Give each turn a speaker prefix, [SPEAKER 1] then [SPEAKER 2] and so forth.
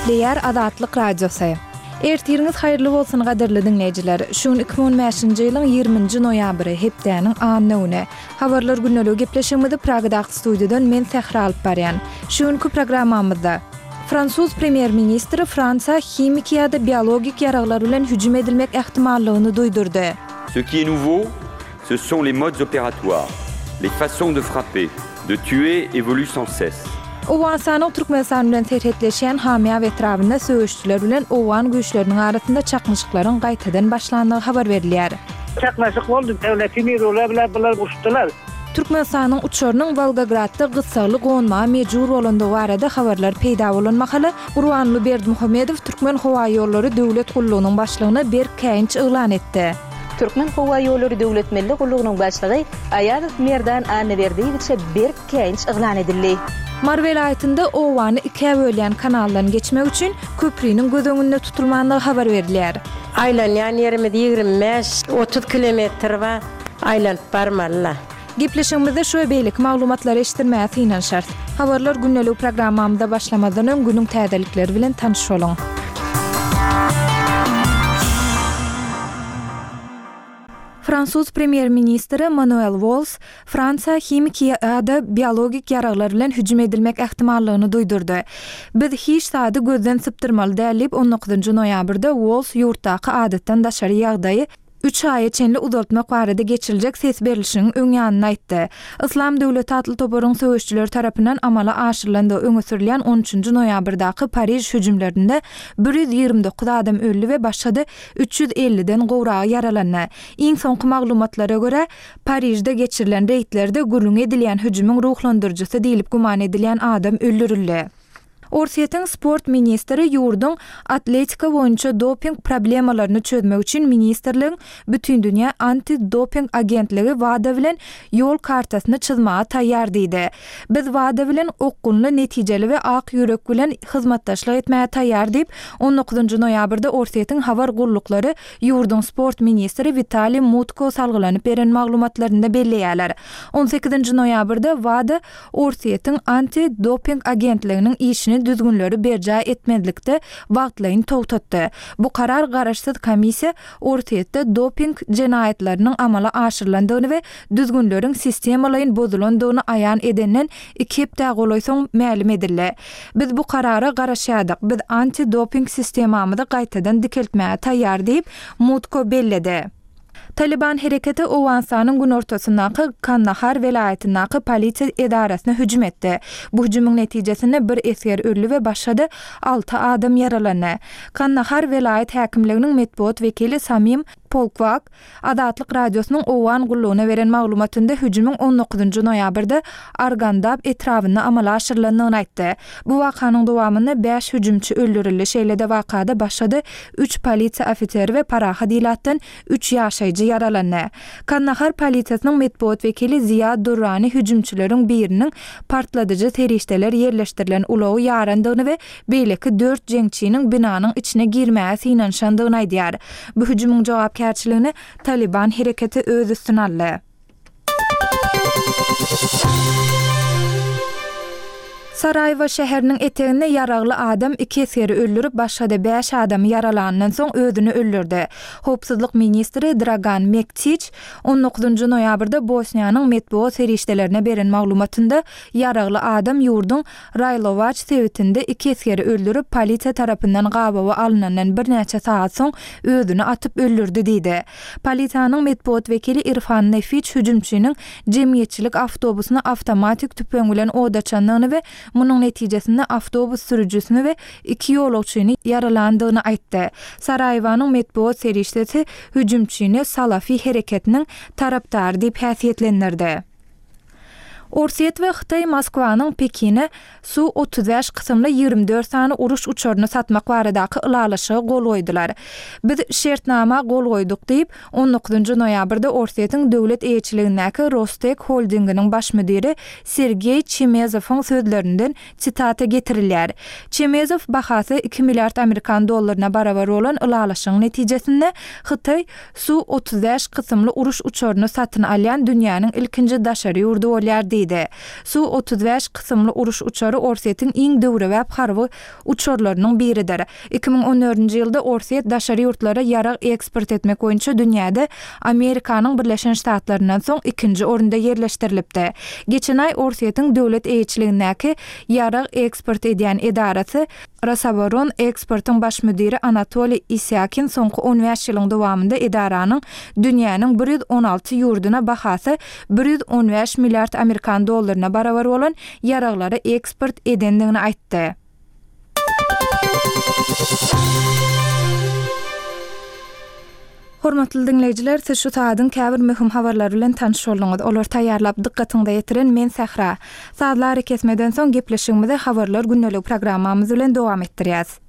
[SPEAKER 1] Gepleýär Azatlyk Radiosy. Ertiriňiz haýyrly bolsun gadyrly diňleýjiler. Şu gün 2015-nji ýylyň 20-nji noýabry, hepdäniň anna güni. Habarlar gündeligi gepleşigimizi Pragadaky studiýadan men Sähra alyp barýan. Şu günki programmamyzda. Fransuz premýer-ministri Fransiýa himiki ýa-da biologik ýaraglar bilen hüjüm edilmek ähtimallygyny duýdurdy.
[SPEAKER 2] Ce qui est nouveau, ce sont les modes opératoires, les façons de frapper, de tuer évoluent sans cesse.
[SPEAKER 1] Owganystanyň Türkmenistan bilen serhetleşýän Hamýab etrabynda söweşijiler bilen owgan güýçleriniň arasynda çaknyşyklaryň gaýtadan başlandygy habar berilýär.
[SPEAKER 3] Çaknyşyk boldy, Döwleti Mirula bilen bular uruşdylar.
[SPEAKER 1] Türkmenistanyň uçarynyň Wolgogradda gyssagly gonmaga mejbur bolandygy barada habarlar peýda bolan mahaly, Gurbanguly Berdimuhamedow Türkmenhowaýollary döwlet gullugynyň başlygyna berk käýinç yglan etdi.
[SPEAKER 4] Türkmenhowaýollary döwlet milli gullugynyň başlygy Aýazow Merdan Annaberdiýewiçe berk käýinç yglan edildi.
[SPEAKER 1] Mary welaýatynda obany ikä bölýän kanaldan geçmek üçin köpriniň göz öňünde tutulmandygy habar berilýär.
[SPEAKER 5] Aýlanýan ýerimiz 25, 30 kilometr bar. Aýlanyp barmaly-la.
[SPEAKER 1] Gepleşigimizde şu we beýleki maglumatlary eşitdirmäge synanyşarys. Habarlar gündeligi programmamyza başlamazdan öň günüň täzelikleri bilen tanyş boluň. Fransuz premýer-ministri Manuel Walls Fransiýa himiki ýa-da biologik ýaraglar bilen hüjüm edilmek ähtimallygyny duýdurdy. Biz hiç zady gözden sypdyrmaly däl diýip, on dokuzynjy noýabrda Walls ýurtdaky adatdan daşary ýagdaýy üç aýa çenli uzaltmak barada geçiriljek ses berlişigiň öň ýanynda aýtdy. Yslam döwleti atly toparyň söweşijileri tarapyndan amala aşyrylandygy öňe sürülýän on üçünji noýabrdaky Pariž hüjümlerinde 129 adam öldi we başga-da 350-den gowragy ýaralandy. Iň soňky maglumatlara görä, Parižde geçirilen reýdlerde gürrüňi edilýän hüjümiň ruhlandyryjysy diýlip güman edilýän adam öldürildi. Orsýetiň sport ministri ýurduň atletika boýunça doping problemalaryny çözmek üçin ministrligiň Bütindünýä anti-doping agentligi WADA bilen ýol kartasyny çyzmaga taýýar diýdi. Biz WADA bilen okgunly, netijeli we ak ýürek bilen hyzmatdaşlyk etmäge taýýar diýip, on dokuzynjy noýabrda Orsýetiň habar gulluklary ýurduň sport ministri Witaliý Mutko salgylanyp beren maglumatlarynda belleýärler. On sekizinji noýabrda WADA Orsýetiň Anti-doping agentliginiň işini düzgünleri berjaý etmezlikde wagtlaýyn togtatdy. Bu karar garaşsyz komissiýa Orsýetde doping jenaýatlarynyň amala aşyrylandygyny we düzgünleriň sistemalaýyn bozulandygyny aýan edenden iki hepdä golaý soň mälim edildi. Biz bu karara garaşýardyk. Biz anti-doping sistemamyzy gaýtadan dikeltmäge taýýar diýip, Mutko belledi. Talyban hereketi Owganystanyň günortasyndaky Kandahar welaýatyndaky polisiýa edarasyna hüjüm etdi. Bu hüjümiň netijesinde bir esger öldi we başga-da alty adam ýaralandy. Kandahar welaýat häkimliginiň metbugat wekili Samim Polkwak Azatlyk Radiosynyň Owgan gullugyna beren maglumatynda hüjümiň on dokuzynjy noýabrda Argandab etrabynda amala aşyrylandygyny aýtdy. Bu wakanyň dowamynda bäş hüjümçi öldürildi, şeýle-de wakada başga-da üç polisiýa ofiseri we parahat ilatdan üç ýaşaýjy ýaralandy. Kandahar polisiýasynyň metbugat wekili Ziýa Durrani hüjümçileriň biriniň partladyjy serişdeler ýerleşdirilen ulagy ýarandygyny we beýleki dört jeňçiniň binanyň içine girmäge synanyşandygyny aýdýar. Bu hüjümiň jogapkärçiligini Talyban hereketi öz üstüne aldy. Saraýewo şäheriniň eteginde ýaragly adam iki esgeri öldürip, başga-da bäş adamy ýaralanyndan soň özüni öldürdi. Howpsuzlyk ministri Dragan Mektiç on dokuzynjy noýabrda Bosniýanyň metbugat serişdelerine beren maglumatynda ýaragly adam ýurduň Raýlowaç sebitinde iki esgeri öldürip, polisiýa tarapyndan gabawa alnandan birnäçe sagat soň özüni atyp öldürdi diýdi. Polisiýanyň metbugat wekili Irfan Nefiç hüjümçiniň jemgyýetçilik awtobusyna awtomatik tüpeň bilen od açandygyny we munuň netijesinde awtobus sürüjisini we iki ýolagçyny ýaralandygyny aýtdy. Saraýewanyň metbugat serişdesi hüjümçini Salafi hereketiniň tarapdary diýip häsiýetlendirdi. Orsýet we Hytaý Moskwanyň Pekine Su 35 kysymly 24 sany uruş uçaryny satmak baradaky ylalaşyga gol goýdular. Biz şertnama gol goýduk diýip, on dokuzynjy noýabrda Orsýetiň döwlet eýeçiligindäki Rostek holdinginiň baş müdiri Sergeý Çemezowyň sözlerinden sitata getirilýär. Çemezow bahasy iki milliard amerikan dollaryna barabar bolan ylalaşygyň netijesinde Hytaý Su 35 kysymly uruş uçaryny satyn alýan dünýäniň ilkinji daşary ýurdy bolýar diýdi. diýdi. Su 35 kysymly uruş uçary Orsýetiň iň döwrebap harby uçarlarynyň biridir. 2014-nji ýylda Orsýet daşary ýurtlara ýarag eksport etmek boýunça dünýäde Amerikanyň Birleşen Ştatlaryndan soň ikinji orunda ýerleşdirilipdi. Geçen aý Orsýetiň döwlet eýeçiligindäki ýarag eksport edýän edarasy Rosoboroneksportyň baş müdiri Anatoliý Isýakin soňky on bäş ýylyň dowamynda edaranyň dünýäniň 116 ýurduna bahasy 115 milliard amerikan dollaryna barabar bolan ýaraglary eksport edendigini aýtdy. Hormatly diňleýjiler, siz şu sagadyň käbir möhüm habarlary bilen tanyş bolduňyz. Olary taýýarlap dykgatyňyza ýetiren men Sähra. Sazly arakesmeden soň gepleşigimizi Habarlar gündeligi programmamyz bilen dowam etdirýäs.